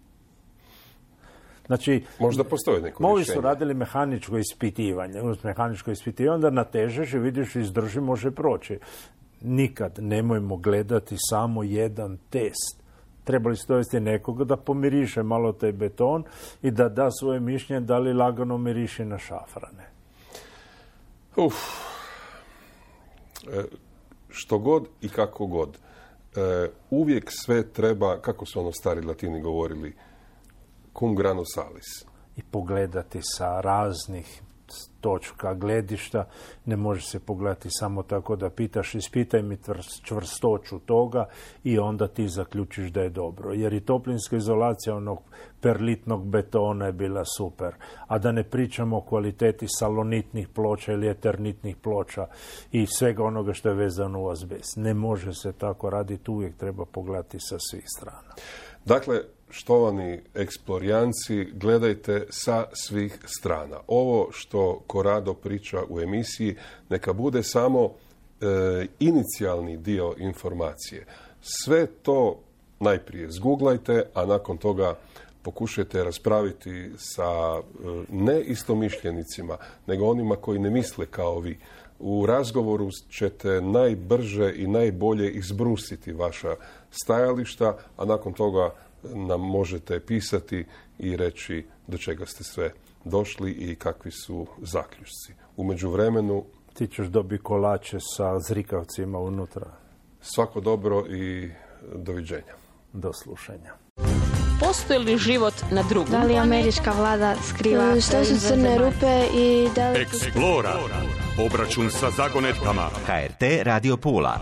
Znači, možda postoji neko moji rješenje. su radili mehaničko ispitivanje. Uz mehaničko ispitivanje onda natežeš i vidiš izdrži, može proći. nikad nemojmo gledati samo jedan test. Trebali ste dovesti nekoga da pomiriše malo taj beton i da da svoje mišljenje da li lagano miriše na šafrane. Uf. E, što god i kako god. E, uvijek sve treba, kako su ono stari Latini govorili, cum grano salis. I pogledati sa raznih točka gledišta, ne može se pogledati samo tako da pitaš, ispitaj mi čvrstoću toga i onda ti zaključiš da je dobro. Jer i toplinska izolacija onog perlitnog betona je bila super. A da ne pričamo o kvaliteti salonitnih ploča ili eternitnih ploča i svega onoga što je vezano u azbest. Ne može se tako raditi, uvijek treba pogledati sa svih strana. Dakle, štovani eksplorijanci, gledajte sa svih strana. Ovo što Corrado priča u emisiji neka bude samo e, inicijalni dio informacije. Sve to najprije zguglajte, a nakon toga pokušajte raspraviti sa e, ne istomišljenicima, nego onima koji ne misle kao vi. U razgovoru ćete najbrže i najbolje izbrusiti vaša stajališta, a nakon toga nam možete pisati i reći do čega ste sve došli i kakvi su zaključci. U međuvremenu ti ćeš dobiti kolače sa zrikavcima unutra. Svako dobro i doviđenja. Do slušanja. Postoji li život na drugom? Da li američka vlada skriva? Što su crne rupe i da li... Eksplora. Obračun sa zagonetkama. H R T Radio Pula.